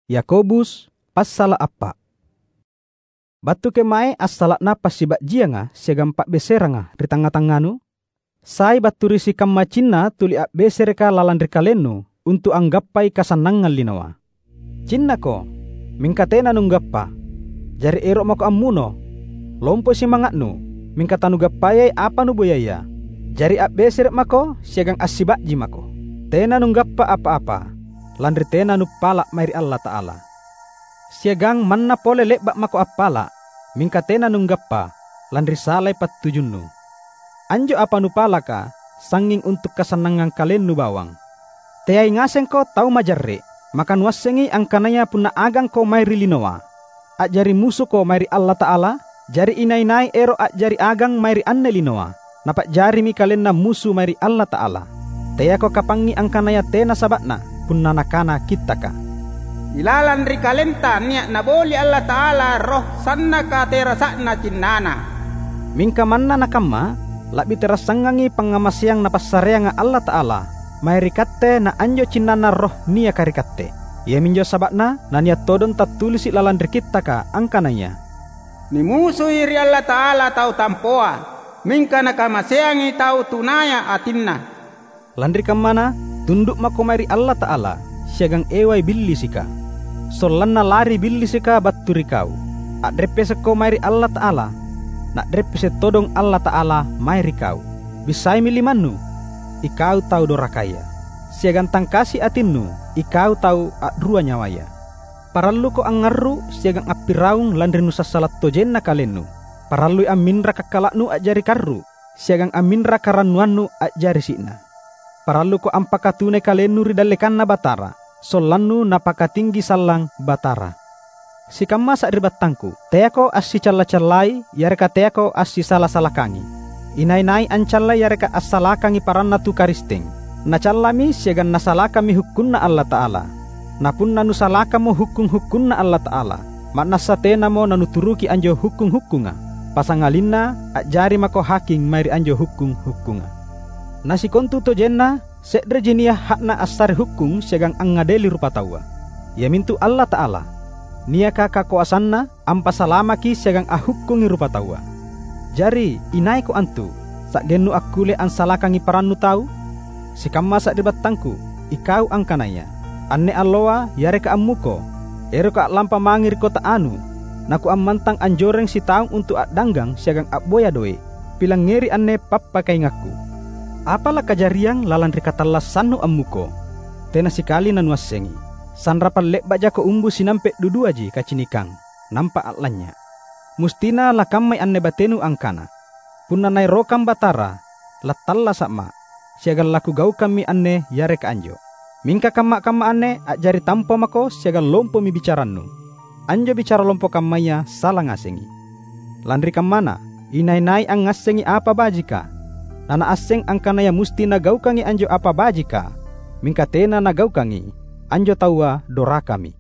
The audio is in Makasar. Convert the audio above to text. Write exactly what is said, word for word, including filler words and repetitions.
Yakobus, passala’ appa’. Battu kemae assala'na passiba'jianga siagang pa'beseranga ri tangnga-tangnganu? Sai battu ri sikamma cinna tuli a'besereka lalang ri kalennu untu’ anggappai kasannangang linoa. Cinnako, mingka tena nunggappa. Jari ero’ mako ammuno. Lompoi simanga'nu, mingka tanugappayai apa nuboyaya. Jari a'besere’ mako siagang assiba'ji mako. Tena nunggappa apa-apa, lanri tena nuppala’ mae ri Allata'ala. Siagang manna pole le'ba’ mako appala’, mingka tena nunggappa, lanri salai pattujunnu. Anjo apa nupalaka, sangnging untu’ kasannangang kalennu bawang. Teai ngasengko tau majarre’, maka nuassengi angkanaya punna agangko mae ri linoa, a'jari musuko mae ri Allata'ala? Jari inai-nai ero’ a'jari agang mae ri anne linoa, napa'jarimi kalenna musu mae ri Allata'ala. Teako kapangngi angkanaya tena saba'na, punna nakana Kittaka, "Ilalang ri kalenta nia’ Naboli Allata'ala roh sannaka terasa'na cinnana." Mingka manna nakamma, la'bi terassangangi pangngamaseang Napassareanga Allata'ala mae ri katte na anjo cinnanna roh niaka ri katte. Iaminjo saba'na nania’ todong tattulisi’ lalang ri Kittaka angkanaya, "Nimusui ri Allata'ala tau tampoa, mingka Nakamaseangi tau tunaya atinna." Lanri kammana, tundu’ mako mae ri Allata'ala, siagang ewai Billisika. Sollanna lari Billisika battu ri kau. A'reppesekko mae ri Allata'ala, Na'reppese’ todong Allata'ala mae ri kau. Bissaimi limannu, ikau tau dorakaya, siagang tangkasi atinnu, ikau tau a'rua nyawaya. Paralluko angngarru’ siagang appiraung lanri nusassala’ tojenna kalennu. Parallui amminra kakkala'nu a'jari karru’, siagang amminra karannuannu a'jari si'na. Paralluko ampakatunai kalennu ri dallekanNa Batara, sollannu Napakatinggi sallang Batara. Sikamma sari'battangku, teako assicalla-callai yareka teako assisala-salakangi. Inai-nai ancallai yareka assalakangi paranna tu Karisteng, nacallami siagang nasalakammi hukkunNa Allata'ala. Na punna nusalakammo hukkung-hukkunNa Allata'ala, ma'nassa tenamo nanuturuki anjo hukkung-hukkunga, pasangalinna a'jari mako haking mae ri anjo hukkung-hukkunga. Na sikontutojenna se'reji nia’ ha'na assare hukkung siagang angngadeli rupataua, iamintu Allata'ala, niaka kakoasanna ampasalamaki siagang ahukkungi rupataua. Jari, inaiko antu, sa'gennu akkulle ansalakangi parannu tau? Sikamma sari'battangku, ikau angkanaya, anne alloa yareka ammuko, eroka a'lampa mange ri kota anu, nakuammantang anjoreng sitaung untu’ a'danggang siagang a'boya doe’. Pilangngeri anne pappakaingakku. Apa lakajariang lalang ri katallassannu ammuko? Tena sikali nanuassengi. Sanrapang le'ba’ jako umbu sinampe’ duduaji kacinikang, nampa a'lanynya’. Mustina lakammai anne batenu angkana, "Punna Naerokang Batara, lattallasa’ ma’, siagang lakugaukammi anne yareka anjo." Mingka kamma-kamma anne a'jari tampo mako siagang lompomi bicarannu. Anjo bicara lompo kammaya sala ngasengi. Lanri kammana, inai-nai angngassengi apa bajika, nanaasseng angkanaya musti nagaukangi anjo apa bajika, mingka tena nagaukangi, anjo taua dorakami.